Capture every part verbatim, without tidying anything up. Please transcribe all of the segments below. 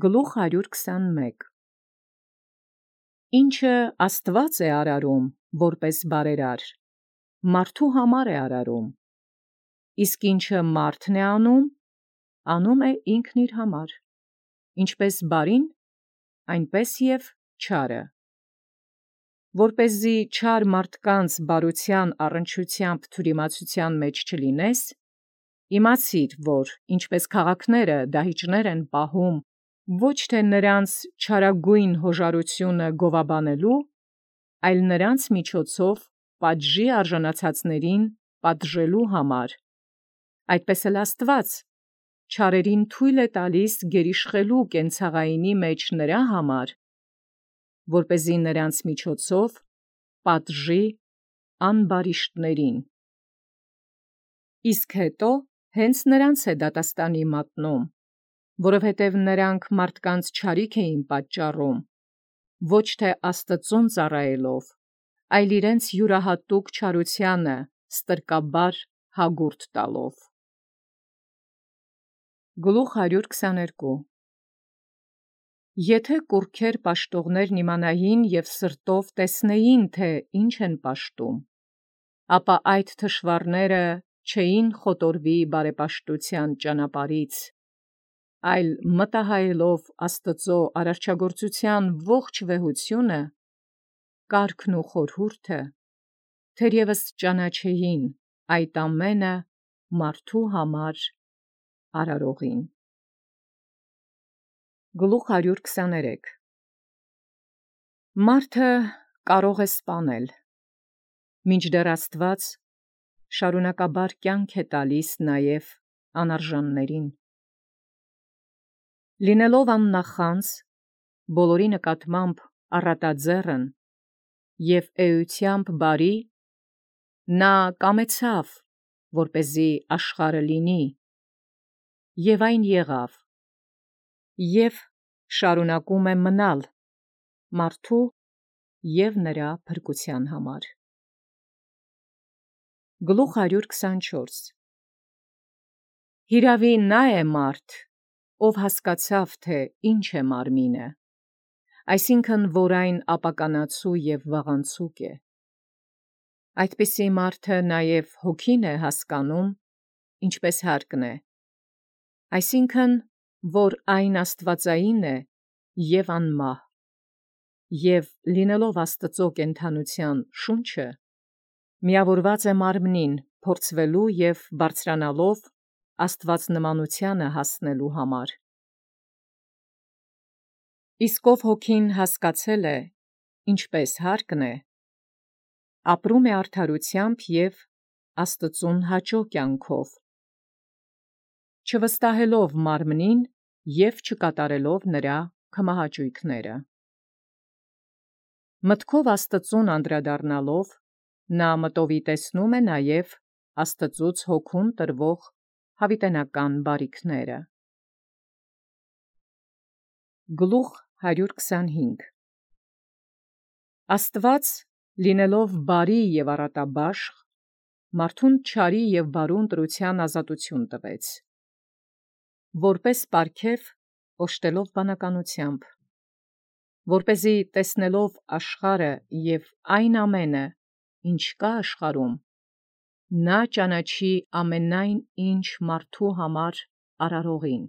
Գլուխ հարյուր քսանմեկ Ինչը Աստուած է արարում, որպես բարերար, մարդու համար է արարում, իսկ ինչը մարդն է անում, անում է ինքն իր համար, ինչպես բարին, այնպես և չարը, որպեսզի չար մարդկանց բարութեան առնչությամբ թյուրիմացութեան մեջ չլինես, իմացիր, որ ինչպես քաղաքները դահիճներ են պահում, ոչ թե նրանց չարագույն հոժարությունը գովաբանելու, այլ նրանց միջոցով պատժի արժանացածներին պատժելու համար, այդպես էլ Աստուած չարերին թույլ է տալիս գերիշխելու կենցաղայինի մեջ նրա համար, որպեսզի նրանց միջոցով պատժի անբարիշտներին։ Իսկ հետո հենց նրանց է դատաստանի մատնում, որովհետև նրանք մարդկանց չարիք էին պատճառում, ոչ թե Աստծուն ծառայելով, այլ իրենց յուրահատուկ չարութեանը ստրկաբար հագուրդ տալով։ Գլուխ հարյուր քսաներկու Եթե կուռքեր պաշտողներն իմանային և սրտով տեսնեին, թե ինչ են պաշտում, ապա այդ թշվառները չէին խոտորվի բարեպաշտութեան ճանապարհից, այլ մտահայելով Աստուծոյ արարչագործութեան ողջ վեհությունը, կարգն ու խորհուրդը, թերևս ճանաչեին այդ ամենը մարդու համար արարողին։ Գլուխ հարյուր քսաներեք Մարդը կարող է սպանել, մինչդեռ Աստուած շարունակաբար կյանք է տալիս նաև անարժաններին։ Լինելով աննախանձ, բոլորի նկատմամբ առատաձեռն և էությամբ բարի, նա կամեցավ, որպեսզի աշխարհը լինի, և այն եղավ, և շարունակում է մնալ մարդու և նրա փրկութեան համար։ Գլուխ հարյուր քսանչորս Հիրավի նա է մարդ, ով հասկացավ, թե ինչ է մարմինը, այսինքն, որ այն ապականացու և վաղանցուկ է։ Այդպիսի մարդը նաև հոգին է հասկանում, ինչպես հարկն է, այսինքն, որ այն աստվածային է և անմահ, և լինելով Աստծու կենդանութեան շունչը, միավորված է մարմնին փորձվելու և բարձրանալով աստվածնմանութեանը հասնելու համար։ Իսկ ով հոգին հասկացել է, ինչպես հարկն է, ապրում է արդարութեամբ և Աստծուն հաճո կյանքով, չվստահելով մարմնին և չկատարելով նրա քմահաճույքները։ Մտքով Աստծուն անդրադառնալով, նա մտովիտեսնում է նաև Աստծուց հոգուն տրվող յաւիտենական բարիքները։ Գլուխ հարյուր քսանհինգ Աստուած, լինելով բարի և առատաբաշխ, մարդուն չարի և բարու ընտրութեան ազատութիւն տվեց, որպես պարգև օժտելով բանականութեամբ, որպեսզի տեսնելով աշխարհը և այն ամենը, ինչ կա աշխարհում, նա ճանաչի ամենայն ինչ մարդու համար արարողին։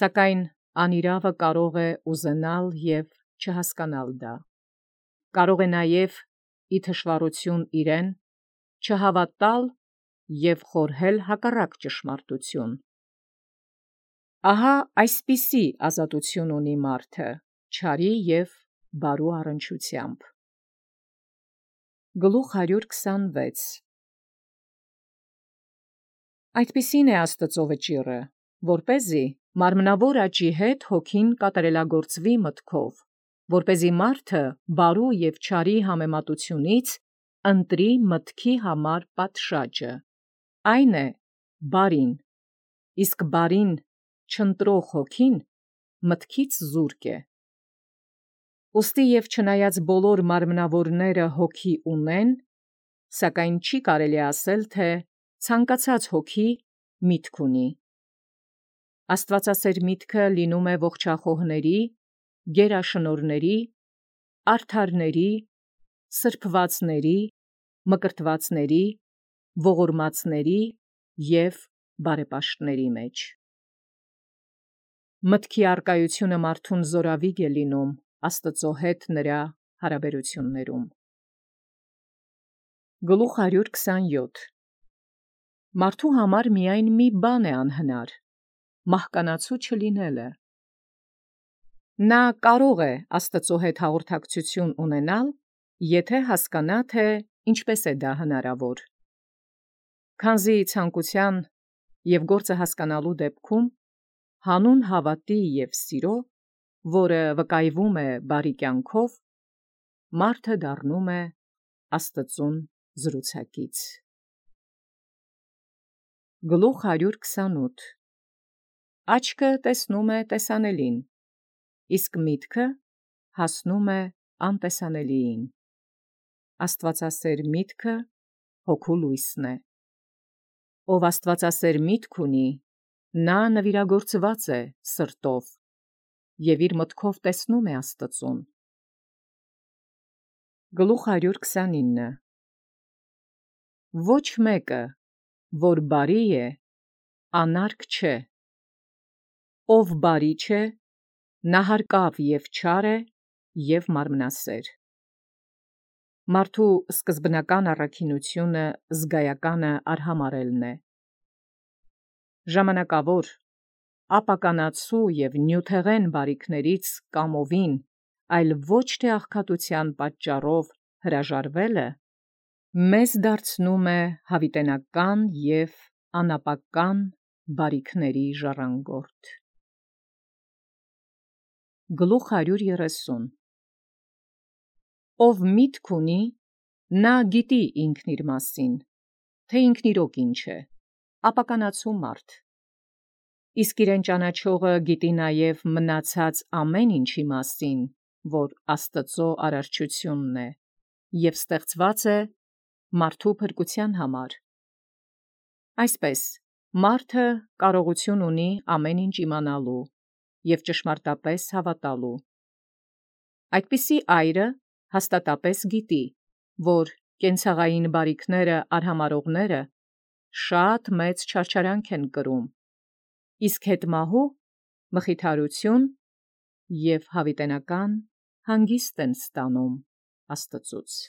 Սակայն անիրաւը կարող է ուզենալ և չհասկանալ դա, կարող է նաև ի թշուառութիւն իրեն չհաւատալ և խորհել հակառակ ճշմարտութիւն։ Ահա այսպիսի ազատութիւն ունի մարդը չարի և բարու առնչությամբ։ Գլուխ հարյուր քսանվեց Այդպիսին է Աստուծոյ վճիռը, որպեսզի մարմնավոր աճի հետ հոգին կատարելագործվի մտքով, որպեսզի մարդը բարու և չարի համեմատութիւնից ընտրի մտքի համար պատշաճը, այն է բարին, իսկ բարին չընտրող հոգին մտքից զուրկ է։ Ուստի և չնայած բոլոր մարմնավորները հոգի ունեն, սակայն չի կարելի ասել, թէ ցանկացած հոգի միտք ունի։ Աստվածասեր միտքը լինում է ողջախոհների, գերաշնորհների, արդարների, սրբվածների, մկրտվածների, ողորմածների և բարեպաշտների մեջ։ Մտքի արկայությունը մարդուն զորավիգ է լինում Աստծո հետ նրա հարաբերություններում։ Գլուխ հարյուր քսանյոթ Մարդու համար միայն մի բան է անհնար՝ մահկանացու չլինելը։ Նա կարող է Աստծո հետ հաղորդակցություն ունենալ, եթե հասկանա, թե ինչպես է դա հնարավոր։ Քանզի ցանկության և գործը հասկանալու դեպքում հանուն հավատի և սիրո, որը վկայվում է բարի կյանքով, մարդը դառնում է Աստծուն զրուցակից։ Գլուխ հարյուր քսանութ Աչքը տեսնում է տեսանելին, իսկ միտքը հասնում է անտեսանելիին։ Աստվածասեր միտքը հոգու լույսն է։ Ով աստվածասեր միտք ունի, նա նվիրագործված է սրտով և իր մտքով տեսնում է Աստծուն։ Գլուխ հարյուր քսանինը Ոչ մեկը, որ բարի է, անարգ չէ, ով բարի չէ, նա հարկավ և չար է և մարմնասեր։ Մարդու սկզբնական առաքինությունը զգայականը արհամարհելն է։ Ժամանակավոր, ապականացու և նյութեղեն բարիքներից կամովին, այլ ոչ թե աղքատության պատճառով հրաժարվելը, մեզ դարձնում է հավիտենական և անապական բարիքների ժառանգորդ։ Գլուխ հարյուր երեսուն Ով միտք ունի, նա գիտի ինքն իր մասին, թե ինքն իրոք ինչ է, ապականացու մարդ։ Իսկ իրեն ճանաչողը գիտի նաև մնացած ամեն ինչի մասին, որ Աստծո արարչությունն է, և ստեղծված է մարդու փրկության համար։ Այսպես, մարդը կարողություն ունի ամեն ինչ իմանալու և ճշմարտապես հավատալու։ Այդպիսի այրը հաստատապես գիտի, որ կենցաղային բարիքները արհամարհողները շատ մեծ չարչարանք են կրում, իսկ հետմահու մխիթարություն և հավիտենական հանգիստ են ստանում Աստծուց։